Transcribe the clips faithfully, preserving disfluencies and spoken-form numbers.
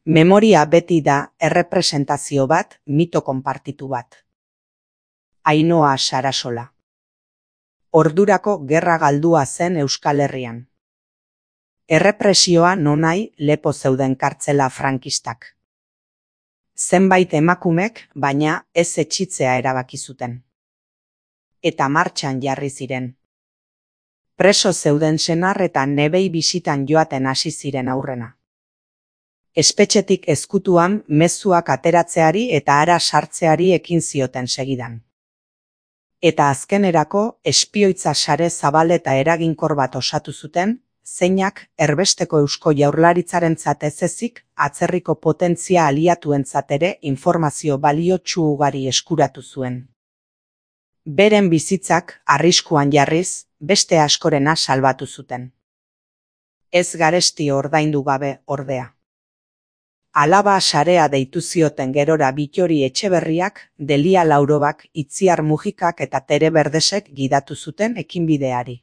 Memoria beti da errepresentazio bat, mito konpartitu bat. Ainhoa Sarasola. Ordurako gerra galdua zen Euskal Herrian. Errepresioa nonai lepo zeuden kartzela frankistak. Zenbait emakumek, baina ez etxitzea erabaki zuten. Eta martxan jarri ziren. Preso zeuden senar eta nebei bisitan joaten hasi ziren aurrena. Espetxetik ezkutuan mezuak ateratzeari eta hara sartzeari ekin zioten segidan. Eta azkenerako espioitza sare zabal eta eraginkor bat osatu zuten, zeinak erbesteko Eusko Jaurlaritzarentzat ez ezik atzerriko potentzia aliatuentzat ere informazio baliotsu ugari eskuratu zuen. Beren bizitzak arriskuan jarriz, beste askorena salbatu zuten. Ez garesti ordaindu gabe ordea. Alaba sarea deitu zioten gerora Bittori Etxeberriak, Delia Laurobak, Itziar Mujikak eta Tere Berdesek gidatu zuten ekinbideari.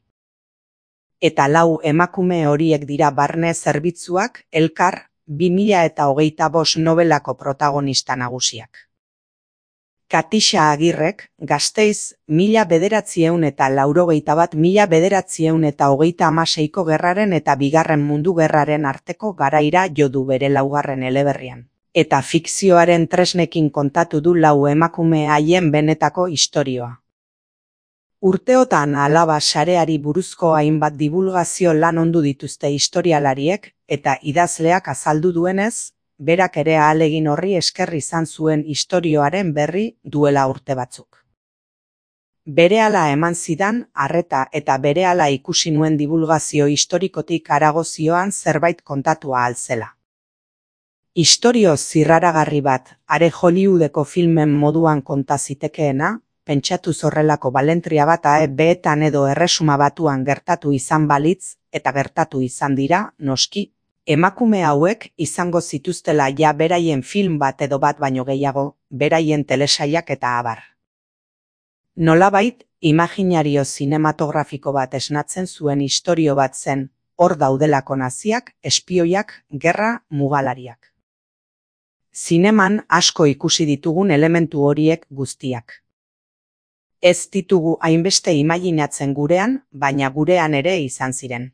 Eta lau emakume horiek dira Barne Zerbitzuak, Elkar, bi mila eta hogeita bost nobelako protagonista nagusiak. Katixa Agirrek, Gasteiz, mila bederatzieun eta laurogeita bat mila bederatzieun eta hogeita hamaseiko gerraren eta bigarren mundu gerraren arteko garaira jo du bere laugarren eleberrian. Eta fikzioaren tresnekin kontatu du lau emakume haien benetako istorioa. Urteotan alaba sareari buruzko hainbat divulgazio lan ondu dituzte historialariek eta idazleak azaldu duenez, berak ere ahalegin horri esker izan zuen istorioaren berri duela urte batzuk. Berehala eman zidan, arreta eta berehala ikusi nuen divulgazio historikotik harago zioan zerbait kontatua ahal zela. Istorio zirraragarri bat, are Hollywoodeko filmen moduan konta zitekeena, pentsatu zorrelako balentria bat A E B-etan edo Erresuma Batuan gertatu izan balitz, eta gertatu izan dira, noski, emakume hauek izango zituztela ja beraien film bat edo bat baino gehiago, beraien telesaiak eta abar. Nolabait, imaginario zinematografiko bat esnatzen zuen istorio bat zen, hor daudelako naziak, espioiak, gerra, mugalariak. Zineman asko ikusi ditugun elementu horiek guztiak. Ez ditugu hainbeste imaginatzen gurean, baina gurean ere izan ziren.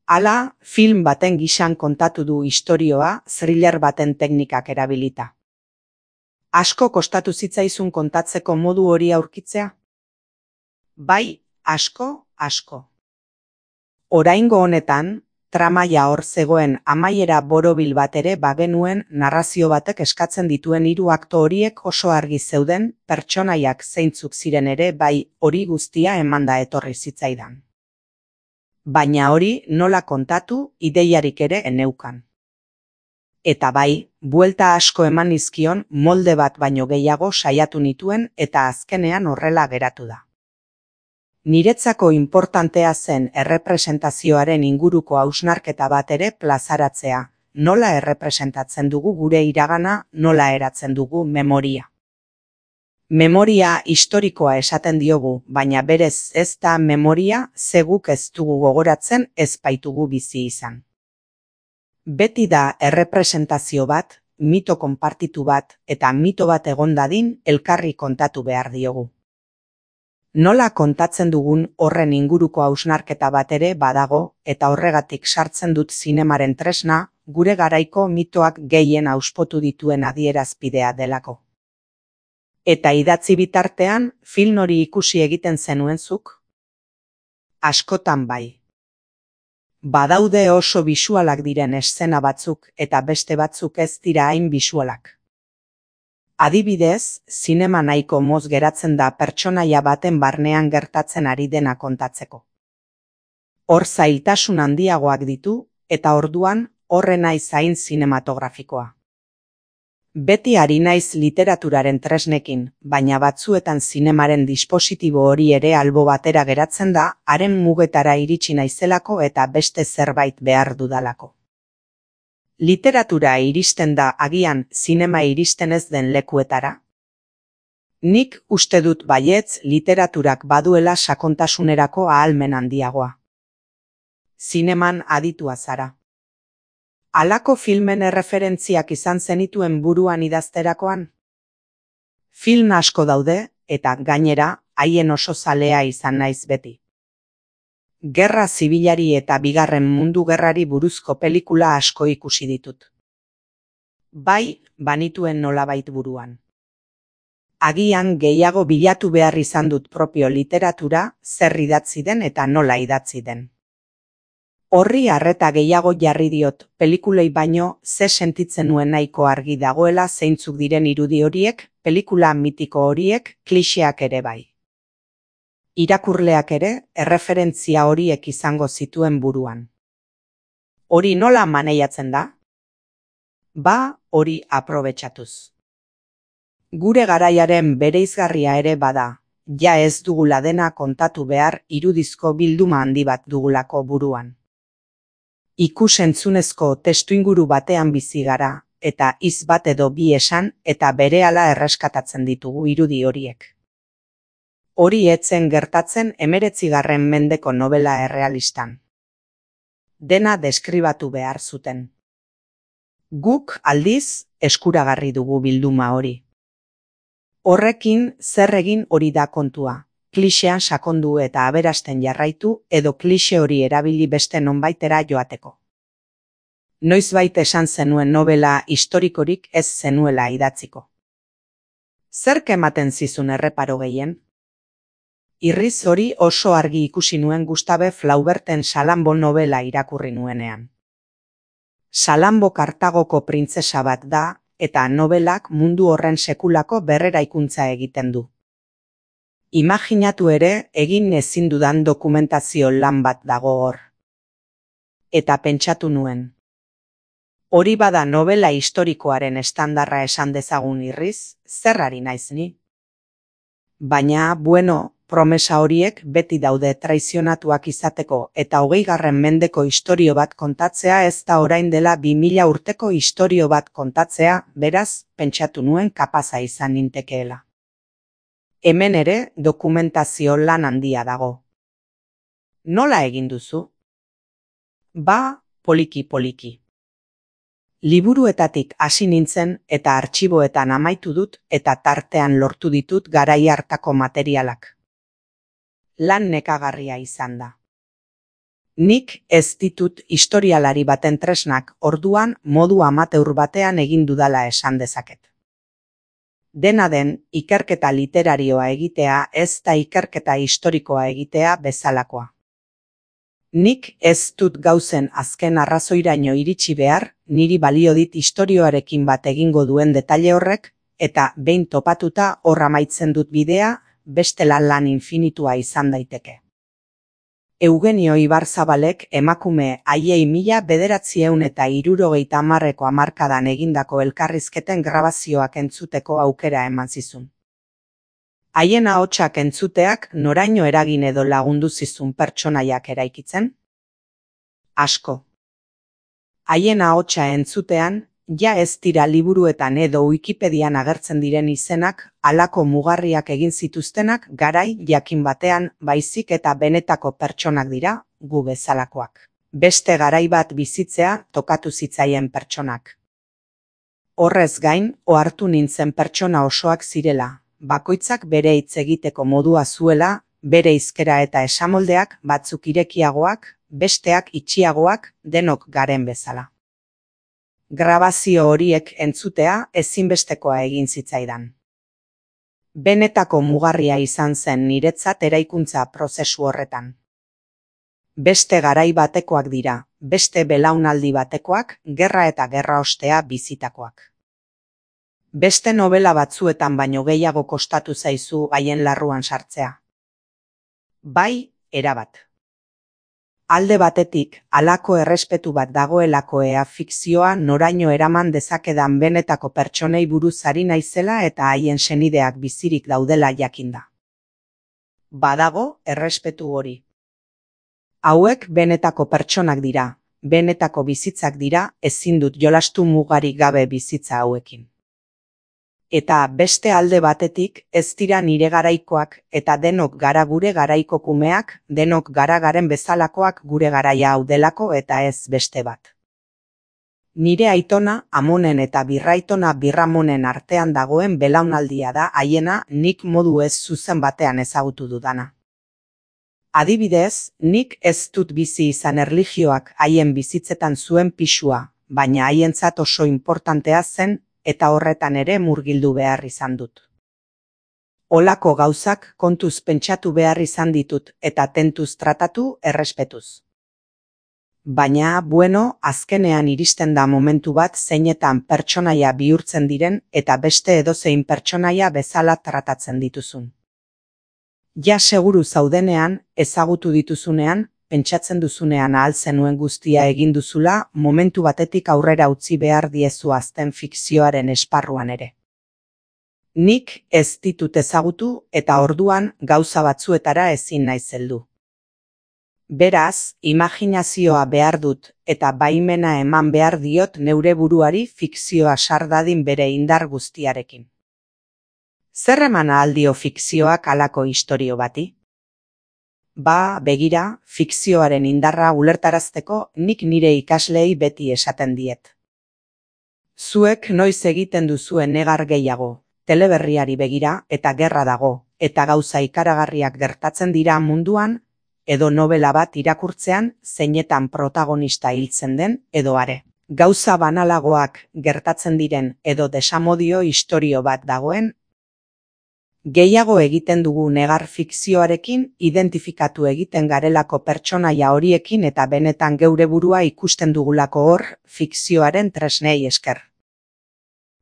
Hala, film baten gisan kontatu du istorioa thriller baten teknikak erabilita. Asko kostatu zitzaizun kontatzeko modu hori aurkitzea? Bai, asko, asko. Oraingo honetan, tramaia hor zegoen amaiera borobil bat ere bagenuen narrazio batek eskatzen dituen hiru akto horiek oso argi zeuden, pertsonaiak zeintzuk ziren ere bai hori guztia emanda etorri zitzaidan. Baina hori nola kontatu ideiarik ere eneukan. Eta bai, buelta asko eman nizkion molde bat baino gehiago saiatu nituen eta azkenean horrela geratu da. Niretzako inportantea zen errepresentazioaren inguruko hausnarketa bat ere plazaratzea, nola errepresentatzen dugu gure iragana, nola eratzen dugu memoria. Memoria historikoa esaten diogu, baina berez ez da memoria ze guk ez dugu gogoratzen ez baitugu bizi izan. Beti da errepresentazio bat, mito konpartitu bat eta mito bat egon dadin elkarri kontatu behar diogu. Nola kontatzen dugun horren inguruko hausnarketa bat ere badago eta horregatik sartzen dut zinemaren tresna, gure garaiko mitoak gehien auspotu dituen adierazpidea delako. Eta idatzi bitartean, film hori ikusi egiten zenuen zuk? Askotan bai. Badaude oso bisualak diren eszena batzuk eta beste batzuk ez dira hain bisualak. Adibidez, zinema nahiko moz geratzen da pertsonaia baten barnean gertatzen ari dena kontatzeko. Hor zailtasun handiagoak ditu eta orduan horre naiz hain zinematografikoa. Beti ari naiz literaturaren tresnekin, baina batzuetan zinemaren dispositibo hori ere albo batera geratzen da, haren mugetara iritsi naizelako eta beste zerbait behar dudalako. Literatura iristen da agian zinema iristen ez den lekuetara? Nik uste dut baietz literaturak baduela sakontasunerako ahalmen handiagoa. Zineman aditua zara. Halako filmen erreferentziak izan zenituen buruan idazterakoan? Film asko daude, eta gainera, haien oso zalea izan naiz beti. Gerra zibilari eta bigarren mundu gerrari buruzko pelikula asko ikusi ditut. Bai, banituen nolabait buruan. Agian gehiago bilatu behar izan dut propio literatura, zer idatzi den eta nola idatzi den. Horri arreta gehiago jarri diot, pelikulei baino ze sentitzen nuen nahiko argi dagoela zeintzuk diren irudi horiek, pelikula mitiko horiek, klixeak ere bai. Irakurleak ere, erreferentzia horiek izango zituen buruan. Hori nola maneiatzen da? Ba, hori aprobetxatuz. Gure garaiaren bereizgarria ere bada, ja ez dugula dena kontatu behar irudizko bilduma handi bat dugulako buruan. Ikus-entzunezko testuinguru batean bizi gara, eta hitz bat edo bi esan eta berehala erreskatatzen ditugu irudi horiek. Hori etzen gertatzen hemeretzigarren mendeko novela errealistan. Dena deskribatu behar zuten. Guk aldiz eskuragarri dugu bilduma hori. Horrekin zer egin hori da kontua. Klixean sakondu eta aberasten jarraitu edo klixe hori erabili beste nonbaitera joateko. Noizbait esan zenuen novela historikorik ez zenuela idatziko. Zerk ematen zizun erreparo gehien? Irriz hori oso argi ikusi nuen Gustave Flauberten Salambo novela irakurri nuenean. Salambo Kartagoko printzesa bat da, eta nobelak mundu horren sekulako berreraikuntza egiten du. Imaginatu ere egin ezin dudan dokumentazio lan bat dago hor. Eta pentsatu nuen. Hori bada novela historikoaren estandarra esan dezagun irriz, zerrari naiz ni? Baina, bueno, promesa horiek beti daude traizionatuak izateko eta hogeigarren mendeko istorio bat kontatzea ez da orain dela bi mila urteko istorio bat kontatzea, beraz, pentsatu nuen kapaza izan nintekeela. Hemen ere dokumentazio lan handia dago. Nola egin duzu? Ba, poliki-poliki. Liburuetatik hasi nintzen eta artxiboetan amaitu dut eta tartean lortu ditut garai hartako materialak. Lan nekagarria izan da. Nik ez ditut historialari baten tresnak orduan modu amateur batean egin dudala esan dezaket. Dena den, ikerketa literarioa egitea ez da ikerketa historikoa egitea bezalakoa. Nik ez dut gauzen azken arrazoiraino iritsi behar, niri balio dit istorioarekin bat egingo duen detaile horrek, eta behin topatuta hor amaitzen dut bidea, bestela lan infinitua izan daiteke. Eugenio Ibarzabalek emakume haiei mila bederatzieun eta hirurogeita hamarreko hamarkadan egindako elkarrizketen grabazioak entzuteko aukera eman zizun. Haien ahotsak entzuteak noraino eragin edo lagundu zizun pertsonaiak eraikitzen? Asko. Haien ahotsa entzutean, ja ez dira liburuetan edo Wikipedian agertzen diren izenak, halako mugarriak egin zituztenak garai jakin batean baizik eta benetako pertsonak dira, gu bezalakoak. Beste garai bat bizitzea tokatu zitzaien pertsonak. Horrez gain, ohartu nintzen pertsona osoak zirela, bakoitzak bere hitz egiteko modua zuela, bere hizkera eta esamoldeak batzuk irekiagoak, besteak itxiagoak, denok garen bezala. Grabazio horiek entzutea ezinbestekoa egin zitzaidan. Benetako mugarria izan zen niretzat eraikuntza prozesu horretan. Beste garai batekoak dira, beste belaunaldi batekoak, gerra eta gerra ostea bizitakoak. Beste novela batzuetan baino gehiago kostatu zaizu haien larruan sartzea. Bai, erabat. Alde batetik, halako errespetu bat dagoelako ea fikzioa noraino eraman dezakedan benetako pertsonei buruz ari naizela eta haien senideak bizirik daudela jakinda. Badago errespetu hori. Hauek benetako pertsonak dira, benetako bizitzak dira, ezin dut jolastu mugarik gabe bizitza hauekin. Eta beste alde batetik ez dira nire garaikoak eta denok gara gure garaiko kumeak, denok gara garen bezalakoak gure garaia hau delako eta ez beste bat. Nire aitona Amonen eta birraitona Birramonen artean dagoen belaunaldia da haiena nik modu ez zuzen batean ezagutu dudana. Adibidez, nik ez dut bizi izan erlijioak haien bizitzetan zuen pisua, baina haientzat oso inportantea zen eta horretan ere murgildu behar izan dut. Olako gauzak kontuz pentsatu behar izan ditut eta tentuz tratatu errespetuz. Baina, bueno, azkenean iristen da momentu bat zeinetan pertsonaia bihurtzen diren eta beste edozein pertsonaia bezala tratatzen dituzun. Ja seguru zaudenean, ezagutu dituzunean, pentsatzen duzunean ahal zenuen guztia egin duzula, momentu batetik aurrera utzi behar diezu azten fikzioaren esparruan ere. Nik ez ditut ezagutu eta orduan gauza batzuetara ezin naiz heldu. Beraz, imaginazioa behar dut eta baimena eman behar diot neure buruari fikzioa sar dadin bere indar guztiarekin. Zer eman ahal dio fikzioak halako istorio bati? Ba, begira, fikzioaren indarra ulertarazteko nik nire ikasleei beti esaten diet. Zuek noiz egiten duzuen negar gehiago, teleberriari begira eta gerra dago, eta gauza ikaragarriak gertatzen dira munduan, edo novela bat irakurtzean zeinetan protagonista hiltzen den edo are. Gauza banalagoak gertatzen diren edo desamodio istorio bat dagoen, gehiago egiten dugu negar fikzioarekin identifikatu egiten garelako pertsonaia horiekin eta benetan geure burua ikusten dugulako hor fikzioaren tresnei esker.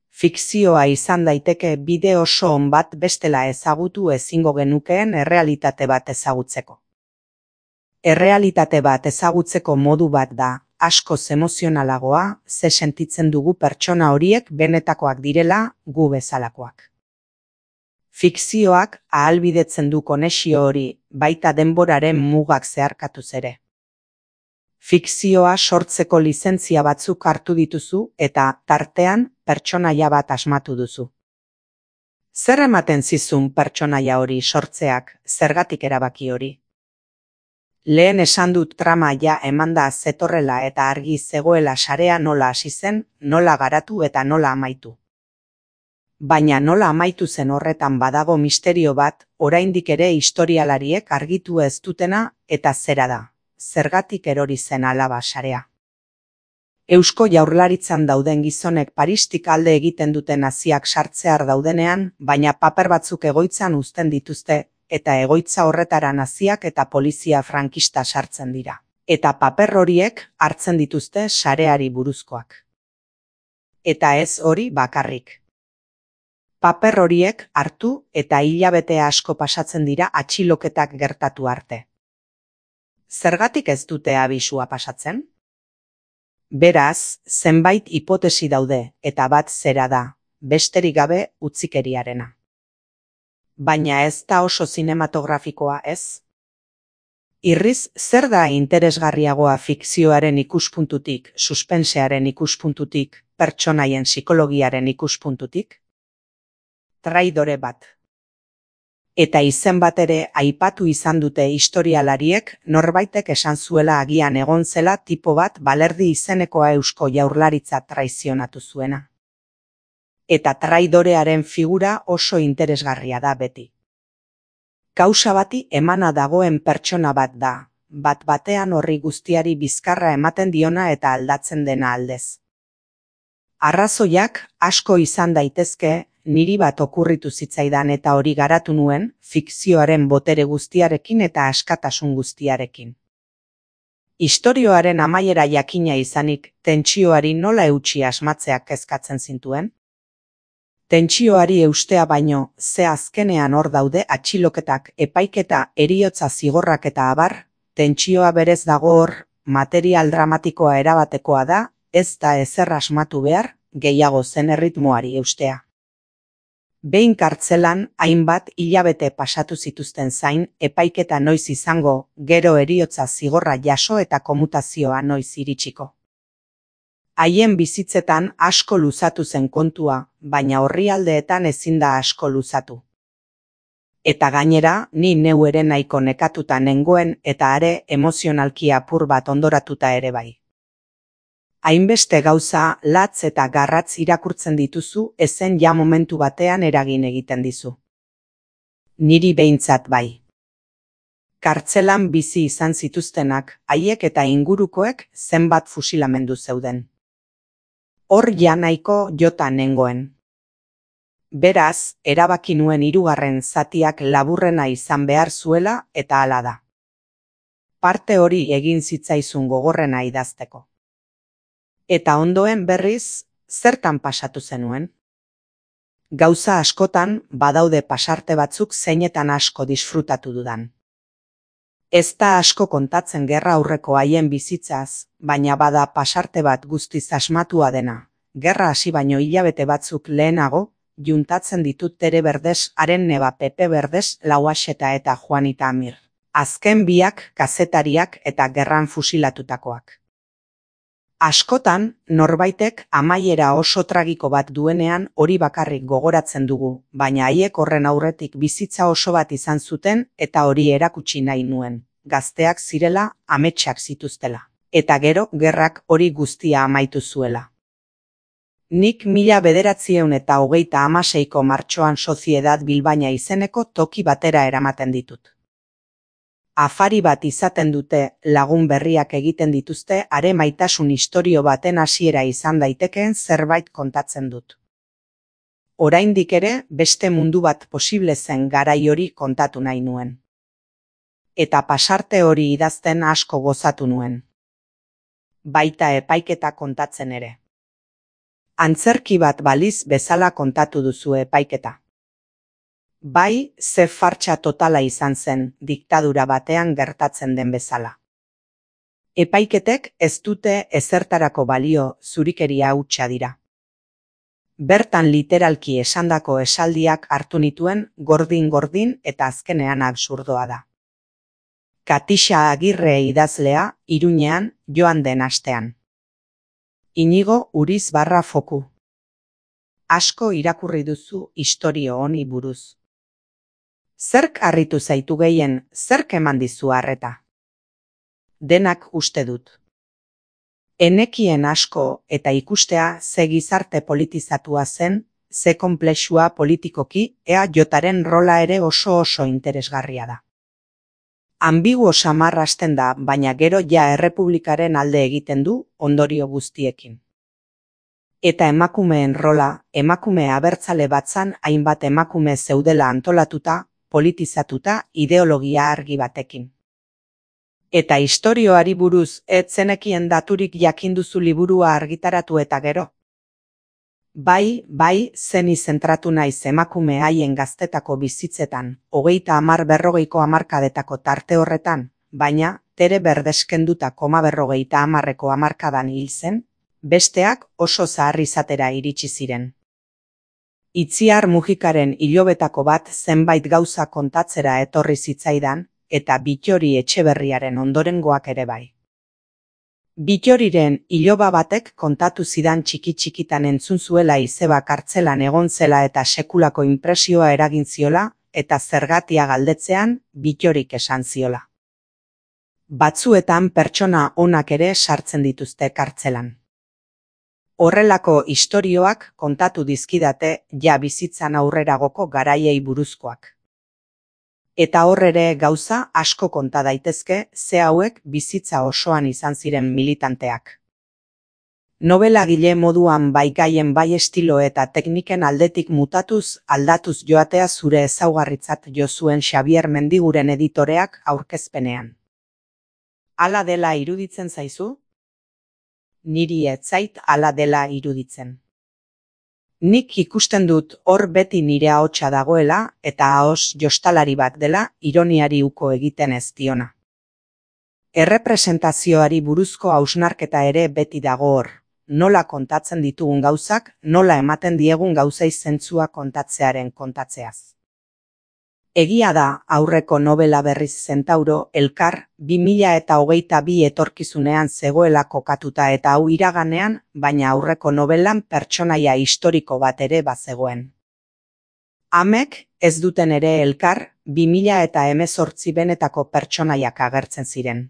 Fikzioa izan daiteke bide oso on bat bestela ezagutu ezingo genukeen errealitate bat ezagutzeko. Errealitate bat ezagutzeko modu bat da, askoz emozionalagoa, ze sentitzen dugu pertsona horiek benetakoak direla gu bezalakoak. Fikzioak ahalbidetzen du konexio hori, baita denboraren mugak zeharkatuz ere. Fikzioa sortzeko lizentzia batzuk hartu dituzu eta tartean pertsonaia bat asmatu duzu. Zer ematen zizun pertsonaia hori sortzeak, zergatik erabaki hori? Lehen esan dut trama ja emanda zetorrela eta argi zegoela sarea nola hasi zen, nola garatu eta nola amaitu. Baina nola amaitu zen horretan badago misterio bat, oraindik ere historialariek argitu ez dutena eta zera da, zergatik erori zen alaba sarea. Eusko Jaurlaritzan dauden gizonek Paristik alde egiten duten naziak sartzear daudenean, baina paper batzuk egoitzan uzten dituzte, eta egoitza horretara naziak eta polizia frankista sartzen dira. Eta paper horiek hartzen dituzte sareari buruzkoak. Eta ez hori bakarrik. Paper horiek hartu eta hilabete asko pasatzen dira atxiloketak gertatu arte. Zergatik ez dute abisua pasatzen? Beraz, zenbait hipotesi daude eta bat zera da, besterik gabe utzikeriarena. Baina ez da oso zinematografikoa ez? Irriz, zer da interesgarriagoa fikzioaren ikuspuntutik, suspensearen ikuspuntutik, pertsonaien psikologiaren ikuspuntutik? Traidore bat. Eta izen bat ere aipatu izan dute historialariek norbaitek esan zuela agian egon zela tipo bat Balerdi izenekoa Eusko Jaurlaritza traizionatu zuena. Eta traidorearen figura oso interesgarria da beti. Kausa bati emana dagoen pertsona bat da, bat batean horri guztiari bizkarra ematen diona eta aldatzen dena aldez. Arrazoiak asko izan daitezke, niri bat okurritu zitzaidan eta hori garatu nuen, fikzioaren botere guztiarekin eta askatasun guztiarekin. Istorioaren amaiera jakina izanik, tentsioari nola eutsi asmatzeak kezkatzen zintuen? Tentsioari eustea baino, ze azkenean hor daude atxiloketak, epaiketa, heriotza zigorrak eta abar, tentsioa berez dago hor, material dramatikoa erabatekoa da, ez da ezer asmatu behar, gehiago zen erritmoari eustea. Behin kartzelan, hainbat hilabete pasatu zituzten zain, epaiketa noiz izango, gero heriotza zigorra jaso eta komutazioa noiz iritsiko. Haien bizitzetan asko luzatu zen kontua, baina orrialdeetan ezin da asko luzatu. Eta gainera, ni neu ere nahiko nekatuta nengoen eta are emozionalki apur bat ondoratuta ere bai. Hainbeste gauza, latz eta garratz irakurtzen dituzu, ezen ja momentu batean eragin egiten dizu. Niri behintzat bai. Kartzelan bizi izan zituztenak, haiek eta ingurukoek zenbat fusilamendu zeuden. Hor ja nahiko jota nengoen. Beraz, erabaki nuen hirugarren zatiak laburrena izan behar zuela eta hala da. Parte hori egin zitzaizun gogorrena idazteko. Eta ondoen berriz, zertan pasatu zenuen? Gauza askotan badaude pasarte batzuk zeinetan asko disfrutatu dudan. Ez da asko kontatzen gerra aurreko haien bizitzaz, baina bada pasarte bat guztiz asmatua dena. Gerra hasi baino hilabete batzuk lehenago, juntatzen ditut Tere Berdez, haren neba Pepe Berdez, Lauaxeta eta Juanita Amir. Azken biak kazetariak eta gerran fusilatutakoak. Askotan, norbaitek amaiera oso tragiko bat duenean hori bakarrik gogoratzen dugu, baina haiek horren aurretik bizitza oso bat izan zuten eta hori erakutsi nahi nuen. Gazteak zirela, ametsak zituztela. Eta gero, gerrak hori guztia amaitu zuela. Nik mila bederatzieun eta hogeita hamaseiko martxoan Soziedad Bilbaina izeneko toki batera eramaten ditut. Afari bat izaten dute, lagun berriak egiten dituzte, are maitasun istorio baten hasiera izan daitekeen zerbait kontatzen dut. Oraindik ere, beste mundu bat posible zen garai hori kontatu nahi nuen. Eta pasarte hori idazten asko gozatu nuen. Baita epaiketa kontatzen ere. Antzerki bat baliz bezala kontatu duzu epaiketa. Bai, ze fartxa totala izan zen, diktadura batean gertatzen den bezala. Epaiketek ez dute ezertarako balio, zurikeria hutsa dira. Bertan literalki esandako esaldiak hartu nituen gordin-gordin eta azkenean absurdoa da. Katixa Agirre idazlea, Iruñean, joan den astean. Inigo Uriz barra foku. Asko irakurri duzu istorio honi buruz. Zerk harritu zaitu gehien, zerk eman dizu harreta? Denak uste dut. Enekien asko eta ikustea ze gizarte politizatua zen, ze konplexua politikoki, ea jotaren rola ere oso oso interesgarria da. Ambiguo samar hasten da, baina gero ja errepublikaren alde egiten du ondorio guztiekin. Eta emakumeen rola, emakume abertzale batzan hainbat emakume zeudela antolatuta, politizatuta, ideologia argi batekin. Eta istorioari buruz ez zenekien daturik jakinduzu liburua argitaratu eta gero. Bai, bai, zeni zentratu naiz emakume haien gaztetako bizitzetan, hogeita hamar berrogeiko hamarkadetako tarte horretan, baina Tere Berdeskenduta koma berrogeita hamarreko hamarkadan hil zen, besteak oso zahar izatera iritsi ziren. Itziar Mujikaren ilobetako bat zenbait gauza kontatzera etorri zitzaidan, eta Bittori Etxeberriaren ondorengoak ere bai. Bittoriren iloba batek kontatu zidan txiki-txikitan entzun zuela izeba kartzelan egon zela eta sekulako inpresioa eragin ziola, eta zergatia galdetzean Bittorik esan ziola. Batzuetan pertsona onak ere sartzen dituzte kartzelan. Horrelako istorioak kontatu dizkidate ja bizitzan aurreragoko garaiei buruzkoak. Eta hor ere gauza asko konta daitezke ze hauek bizitza osoan izan ziren militanteak. Nobelagile moduan bai gaien bai estilo eta tekniken aldetik mutatuz aldatuz joatea zure ezaugarritzat jo zuen Xabier Mendiguren editoreak aurkezpenean. Hala dela iruditzen zaizu? Niri ez zait hala dela iruditzen. Nik ikusten dut hor beti nire ahotsa dagoela eta ahos jostalari bat dela ironiari uko egiten ez diona. Errepresentazioari buruzko hausnarketa ere beti dago hor, nola kontatzen ditugun gauzak, nola ematen diegun gauzei zentzua kontatzearen kontatzeaz. Egia da aurreko nobela berriz Zentauro Elkar bi mila eta hogeita bi etorkizunean zegoela kokatuta eta hau iraganean, baina aurreko nobelan pertsonaia historiko bat ere bazegoen. Amek ez duten ere Elkar bi mila eta hemezortzi benetako pertsonaiak agertzen ziren.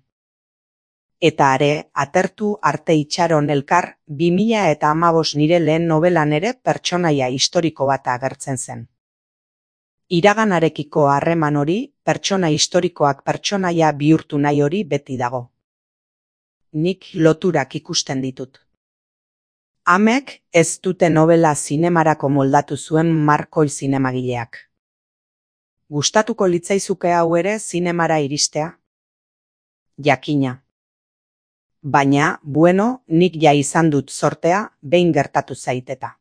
Eta are, atertu arte itxaron elkar, bi mila eta hamabost nire lehen novelan ere pertsonaia historiko bat agertzen zen. Iraganarekiko harreman hori, pertsona historikoak pertsonaia bihurtu nahi hori beti dago. Nik loturak ikusten ditut. Amek ez dute novela zinemarako moldatu zuen Markoi zinemagileak. Gustatuko litzaizuke hau ere zinemara iristea? Jakina. Baina, bueno, nik ja izan dut zortea, behin gertatu zaiteta.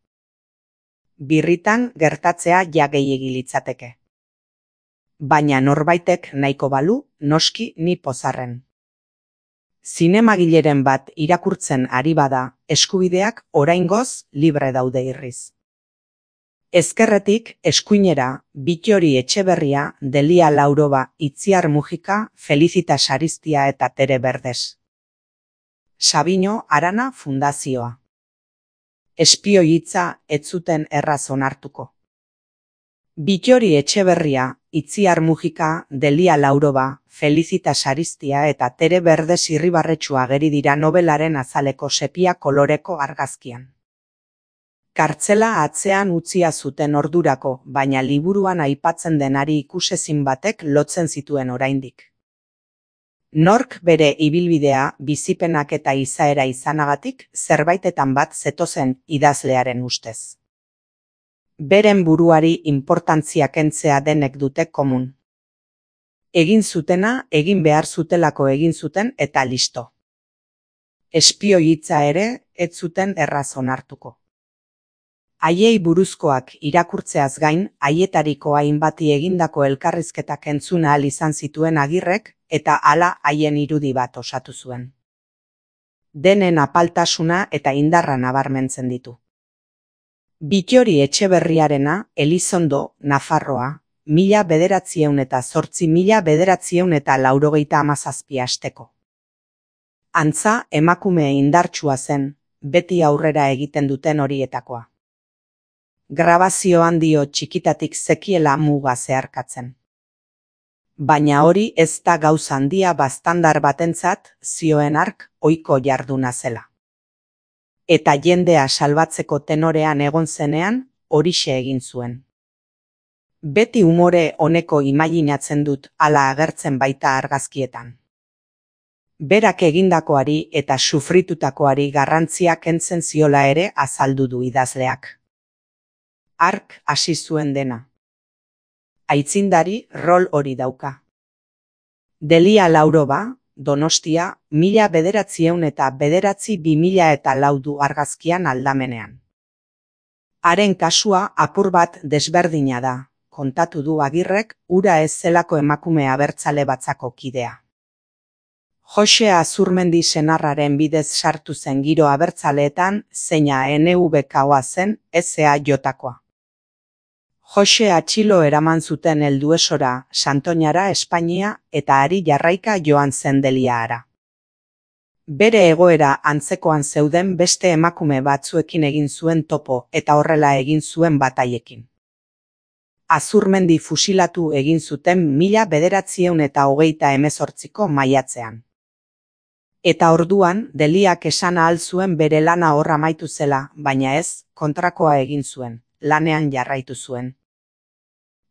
Birritan gertatzea ja gehiegi litzateke. Baina norbaitek nahiko balu, noski ni pozarren. Zinemagileren bat irakurtzen ari bada, eskubideak oraingoz libre daude irriz. Ezkerretik, eskuinera, Bittori Etxeberria, Delia Lauroba, Itziar Mujika, Felicitas Aristia eta Tere Berdes. Sabino Arana Fundazioa. Espioi hitza ez zuten erraz onartuko. Bittori Etxeberria, Itziar Mujika, Delia Lauroba, Felicitas Aristia eta Tere Berdes irribarretsu ageri dira novelaren azaleko sepia koloreko argazkian. Kartzela atzean utzia zuten ordurako, baina liburuan aipatzen denari ikusezin batek lotzen zituen oraindik. Nork bere ibilbidea, bizipenak eta izaera izanagatik zerbaitetan bat zetozen idazlearen ustez. Beren buruari inportantzia kentzea denek dute komun. Egin zutena, egin behar zutelako egin zuten eta listo. Espioi hitza ere, ez zuten erraz onartuko. Haiei buruzkoak irakurtzeaz gain, haietariko hainbati egindako elkarrizketak entzun ahal izan zituen Agirrek, eta hala haien irudi bat osatu zuen. Denen apaltasuna eta indarra nabarmentzen ditu. Bittori Etxeberriarena, Elizondo, Nafarroa, mila bederatzieun eta zortzi mila bederatzieun eta laurogeita hamazazpi asteko. Antza, emakume indartsua zen, beti aurrera egiten duten horietakoa. Grabazioan dio txikitatik zekiela muga zeharkatzen. Baina hori ez da gauza handia baztandar batentzat, zioen hark ohiko jarduna zela. Eta jendea salbatzeko tenorean egon zenean, horixe egin zuen. Beti umore honeko imaginatzen dut hala agertzen baita argazkietan. Berak egindakoari eta sufritutakoari garrantzia kentzen ziola ere azaldu du idazleak. Hark hasi zuen dena. Aitzindari rol hori dauka. Delia Lauroba, Donostia, mila bederatzieun eta bederatzi bi mila eta laudu argazkian aldamenean. Haren kasua apur bat desberdina da, kontatu du Agirrek, hura ez zelako emakume abertzale batzako kidea. Jose Azurmendi senarraren bidez sartu zen giro abertzaleetan, zeina N V K-oa zen, S A J-koa. Jose atxilo eraman zuten Helduesora, Santoñara, Espainia, eta hari jarraika joan zen Deliara. Bere egoera antzekoan zeuden beste emakume batzuekin egin zuen topo eta horrela egin zuen bataiekin. Azurmendi fusilatu egin zuten mila bederatzieun eta hogeita hemezortziko maiatzean. Eta orduan, Deliak esan ahal zuen bere lana hor amaitu zela, baina ez, kontrakoa egin zuen, lanean jarraitu zuen.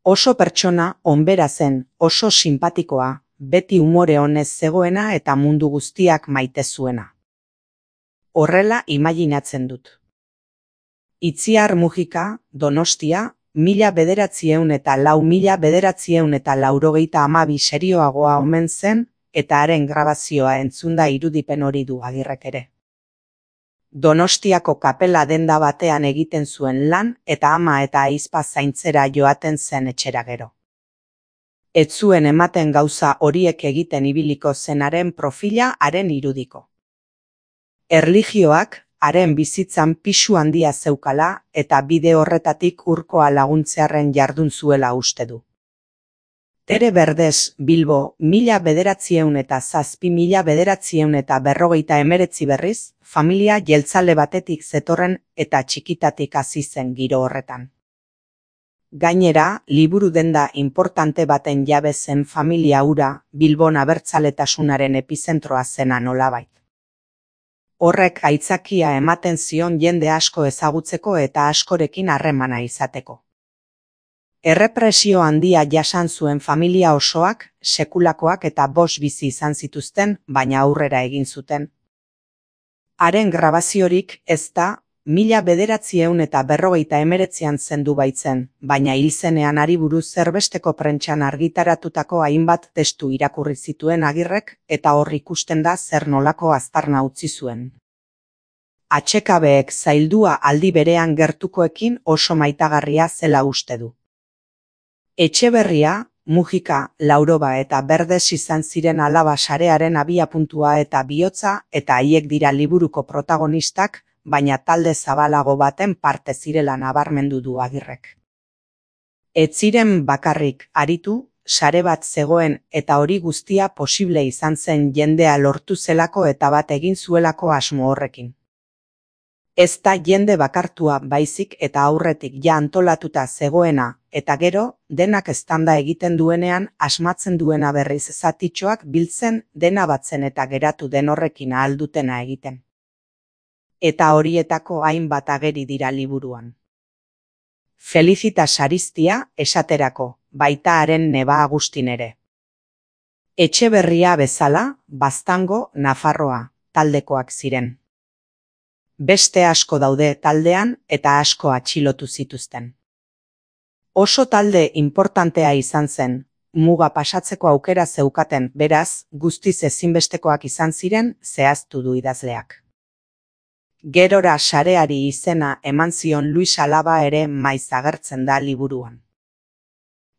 Oso pertsona onbera zen, oso sinpatikoa, beti umore honez zegoena eta mundu guztiak maite zuena. Horrela imaginatzen dut. Itziar Mujika, Donostia, mila bederatzieun eta lau mila bederatzieun eta laurogeita hamabi serioagoa omen zen, eta haren grabazioa entzunda irudipen hori du Agirrek ere. Donostiako kapela denda batean egiten zuen lan eta ama eta ahizpa zaintzera joaten zen etxera gero. Ez zuen ematen gauza horiek egiten ibiliko zenaren profila haren irudiko. Erlijioak haren bizitzan pisu handia zeukala eta bide horretatik urkoa laguntzearren jardun zuela uste du. Tere Berdes, Bilbo, mila bederatzieun eta zazpi mila bederatzieun eta berrogeita emeretzi berriz, familia jeltzale batetik zetorren eta txikitatik hasi zen giro horretan. Gainera, liburu denda inportante baten jabe zen familia hura Bilbon abertzaletasunaren epizentroa zena nolabait. Horrek aitzakia ematen zion jende asko ezagutzeko eta askorekin harremana izateko. Errepresio handia jasan zuen familia osoak, sekulakoak eta bost bizi izan zituzten, baina aurrera egin zuten. Haren grabaziorik ez da, mila bederatziehun eta berrogeita hemeretzian zendu baitzen, baina hil zenean hari buruz zerbesteko prentsan argitaratutako hainbat testu irakurri zituen Agirrek eta hor ikusten da zer nolako aztarna utzi zuen. Atsekabeek zaildua aldi berean gertukoekin oso maitagarria zela uste du. Etxeberria, Mujika, Lauroba eta Berdes izan ziren alaba sarearen abiapuntua eta bihotza eta haiek dira liburuko protagonistak, baina talde zabalago baten parte zirela nabarmendu du Agirrek. Ez ziren bakarrik aritu, sare bat zegoen eta hori guztia posible izan zen jendea lortu zelako eta bat egin zuelako asmo horrekin. Ez da jende bakartua baizik eta aurretik ja antolatuta zegoena, eta gero, denak eztanda egiten duenean asmatzen duena berriz zatitxoak biltzen dena batzen eta geratu den horrekin ahal dutena egiten. Eta horietako hainbat ageri dira liburuan. Felicitas Aristia esaterako, baita haren neba Agustin ere. Etxeberria bezala, Baztango, Nafarroa, taldekoak ziren. Beste asko daude taldean eta asko atxilotu zituzten. Oso talde inportantea izan zen, muga pasatzeko aukera zeukaten, beraz, guztiz ezinbestekoak izan ziren zehaztu du idazleak. Gerora sareari izena eman zion Luis Alaba ere maiz agertzen da liburuan.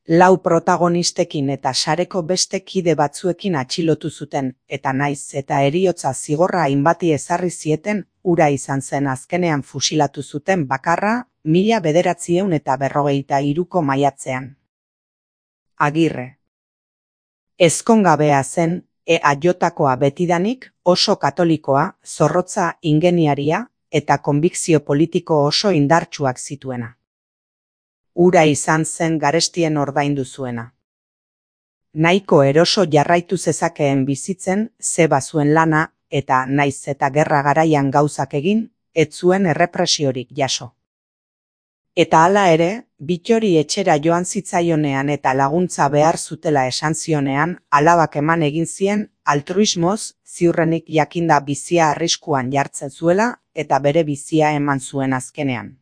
Lau protagonistekin eta sareko beste kide batzuekin atxilotu zuten, eta naiz eta heriotza zigorra hainbati ezarri zieten, ura izan zen azkenean fusilatu zuten bakarra, mila bederatzieun eta berrogeita hiruko maiatzean. Agirre. Ezkongabea zen, E aiotakoa betidanik, oso katolikoa, zorrotza ingeniaria eta konbikzio politiko oso indartsuak zituena. Ura izan zen garestien ordaindu zuena. Nahiko eroso jarraitu zezakeen bizitzen, ze bazuen lana, eta naiz eta gerra garaian gauzak egin, ez zuen errepresiorik jaso. Eta hala ere, Bittori etxera joan zitzaionean eta laguntza behar zutela esan zionean, alabak eman egin zien, altruismoz, ziurrenik jakinda bizia arriskuan jartzen zuela, eta bere bizia eman zuen azkenean.